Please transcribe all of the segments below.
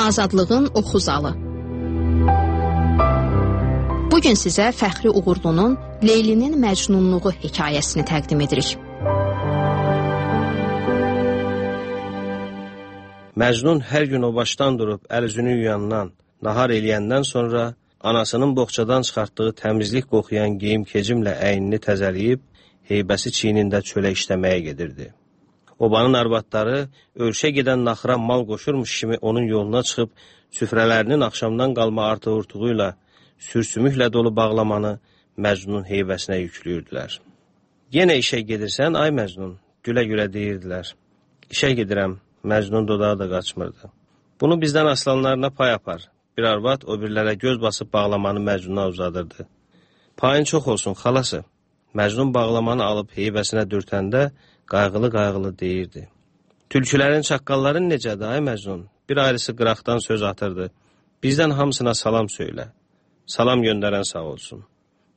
Azadlığın Oxu Zalı. Bugün sizə Fəxri Uğurlunun Leylinin Məcnunluğu hekayəsini təqdim edirik. Məcnun hər gün o başdan durub əl-üzünü yuyandan, nahar eləyəndən sonra anasının boğçadan çıxartdığı təmizlik qoxuyan geyim-kecimlə əynini təzələyib, heybəsi çiynində çölə işləməyə gedirdi. Obanın arvadları ölçə gedən naxıra mal qoşurmuş kimi onun yoluna çıxıb, süfrələrinin axşamdan qalma artıq-urtuğuyla, sürsümüklə dolu bağlamanı Məcnunun heybəsinə yüklüyürdülər. Yenə işə gedirsən, ay Məcnun, gülə-gülə deyirdilər. İşə gedirəm, Məcnun dodağı da qaçmırdı. Bunu bizdən aslanlarına pay apar. Bir arvad o birlərə göz basıb bağlamanı Məcnuna uzadırdı. Payın çox olsun, xalası. Məcnun bağlamanı alıb heybəsinə dürtəndə qayğılı-qayğılı deyirdi. Tülkülərin, çaqqalların necədir, ay Məcnun? Bir ayrısı qıraqdan söz atırdı. Bizdən hamısına salam söylə. Salam göndərən sağ olsun.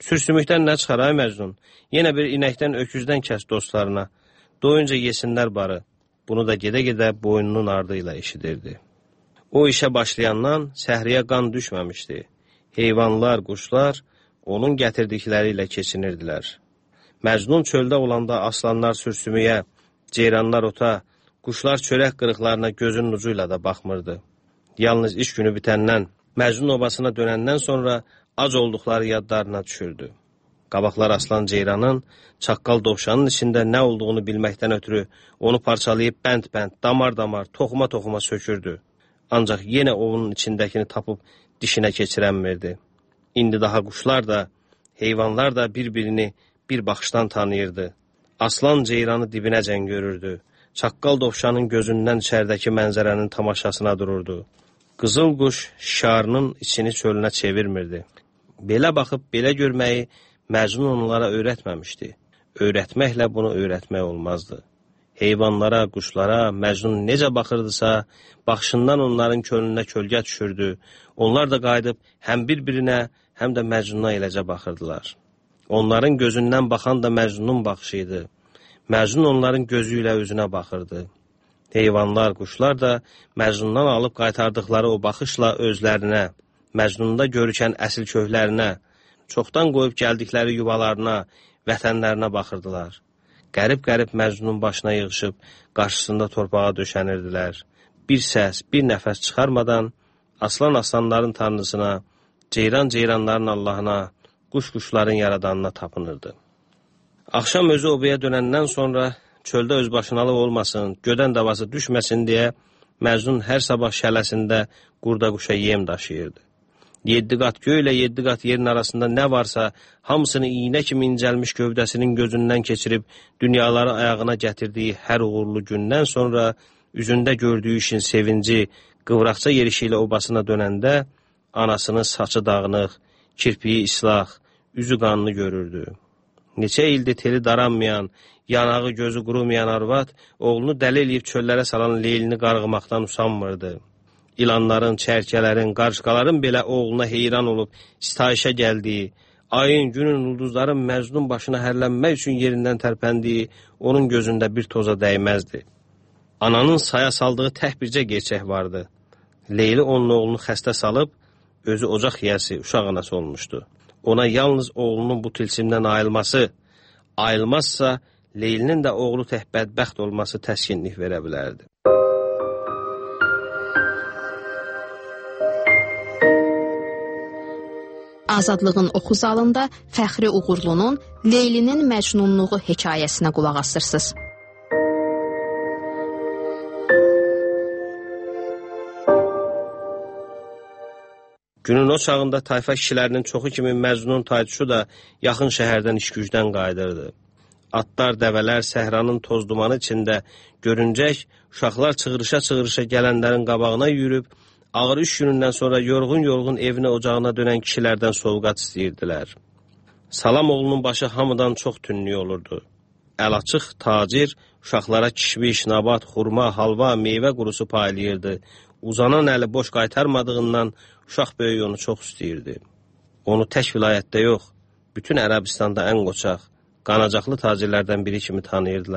Sürsümükdən nə çıxar, ay Məcnun? Yenə bir inəkdən, öküzdən kəs dostlarına. Doyunca yesinlər barı. Bunu da gedə-gedə boynunun ardı ilə eşidirdi. O işə başlayandan səhriyə qan düşməmişdi. Heyvanlar, quşlar onun gətirdikləri ilə keçinirdilər. Məcnun çöldə olanda aslanlar sürsümüyə, ceyranlar ota, quşlar çörək qırıqlarına gözünün ucu ilə də baxmırdı. Yalnız iş günü bitəndən, Məcnun obasına dönəndən sonra ac olduqları yadlarına düşürdü. Qabaqlar aslan ceyranın, çaqqal dovşanın içində nə olduğunu bilməkdən ötürü onu parçalayıb bənd-bənd, damar-damar, toxuma-toxuma sökürdü. Ancaq yenə onun içindəkini tapıb dişinə keçirənmirdi. İndi daha quşlar da, heyvanlar da bir-birini bir baxışdan tanıyırdı. Aslan ceyranı dibinəcən görürdü. Çaqqal dovşanın gözündən içərdəki mənzərənin tamaşasına dururdu. Qızıl quş şarının içini çölünə çevirmirdi. Belə baxıb, belə görməyi Məcnun onlara öyrətməmişdi. Öyrətməklə bunu öyrətmək olmazdı. Heyvanlara, quşlara Məcnun necə baxırdısa, baxışından onların könlünə kölgə düşürdü. Onlar da qayıdıb həm bir-birinə, həm də Məcnuna eləcə baxırdılar. Onların gözündən baxan da Məcnunun baxışıydı. Məcnun onların gözü ilə özünə baxırdı. Heyvanlar, quşlar da Məcnundan alıb qaytardıqları o baxışla özlərinə, Məcnunda görükən əsil köklərinə, çoxdan qoyub gəldikləri yuvalarına, vətənlərinə baxırdılar. Qərib-qərib Məcnunun başına yığışıb, qarşısında torpağa döşənirdilər. Bir səs, bir nəfəs çıxarmadan aslan-aslanların tanrısına, ceyran-ceyranların Allahına, quş-quşların yaradanına tapınırdı. Axşam özü obaya dönəndən sonra çöldə özbaşınalıq olmasın, gödən davası düşməsin deyə Məcnun hər sabah şələsində qurda-quşa yem daşıyırdı. 7 qat göy ilə 7 qat yerin arasında nə varsa, hamısını iynə kimi incəlmiş gövdəsinin gözündən keçirib dünyaları ayağına gətirdiyi hər uğurlu gündən sonra üzündə gördüyü işin sevinci, qıvraqca yerişi ilə obasına dönəndə anasının saçı dağınıq, kirpiyi islah, üzü qanlı görürdü. Neçə ildir teli daranmayan, yanağı gözü qurumayan arvad oğlunu dəli eləyib çöllərə salan Leylini qarğımaqdan usanmırdı. İlanların, çərkələrin, qarışqaların belə oğluna heyran olub sitayişə gəldiyi, ayın, günün, ulduzların Məcnun başına hərlənmək üçün yerindən tərpəndiyi onun gözündə bir toza dəyməzdi. Ananın saya saldığı tək bircə gerçək vardı. Leyli onun oğlunu xəstə salıb, özü ocaq yiyəsi, uşaq anası olmuşdu. Ona yalnız oğlunun bu tilsimdən ayılmazsa, Leylinin də oğlu tək bədbəxt olması təskinlik verə bilərdi. Azadlığın Oxu Zalında Fəxri Uğurlunun Leylinin Məcnunluğu hekayəsinə qulaq asırsınız. Günün o çağında tayfa kişilərinin çoxu kimi Məcnun taytuşu da yaxın şəhərdən iş-gücdən qayıdırdı. Atlar, dəvələr səhranın toz dumanı içində görüncək, uşaqlar çığırışa-çığırışa gələnlərin qabağına yürüb, ağır iş günündən sonra yorğun-yorğun evinə, ocağına dönən kişilərdən sovqat istəyirdilər. Salam oğlunun başı hamıdan çox tünlük olurdu. Əl-açıq tacir uşaqlara kişmiş, nabat, xurma, halva, meyvə qurusu paylayırdı. Uzanan əli boş qaytarmadığından uşaq böyük onu çox istəyirdi. Onu tək vilayətdə yox, bütün Ərəbistanda ən qoçaq, qanacaqlı tacirlərdən biri kimi tanıyırdılar.